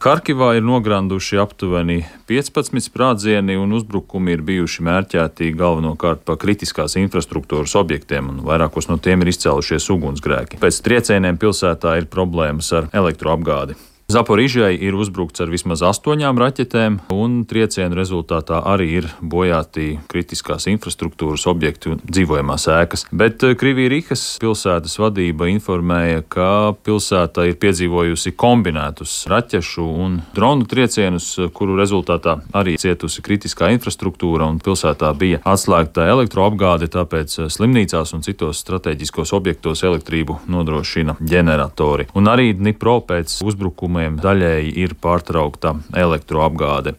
Harkivā ir nogranduši aptuveni 15 sprādzieni, un uzbrukumi ir bijuši mērķēti galvenokārt pa kritiskās infrastruktūras objektiem, un vairākos no tiem ir izcēlušies ugunsgrēki. Pēc triecieniem pilsētā ir problēmas ar elektroapgādi. Zaporižai ir uzbrukts ar vismaz 8 raķetēm, un triecienu rezultātā arī ir bojāti kritiskās infrastruktūras objekti un dzīvojamās ēkas. Bet Krivī-Rihas pilsētas vadība informēja, ka pilsēta ir piedzīvojusi kombinētus raķešu un dronu triecienus, kuru rezultātā arī cietusi kritiskā infrastruktūra, un pilsētā bija atslēgta elektroapgāde, tāpēc slimnīcās un citos strateģiskos objektos elektrību nodrošina ģeneratori. Un arī Dnipro pēc uzbrukuma daļēji ir pārtraukta elektroapgāde.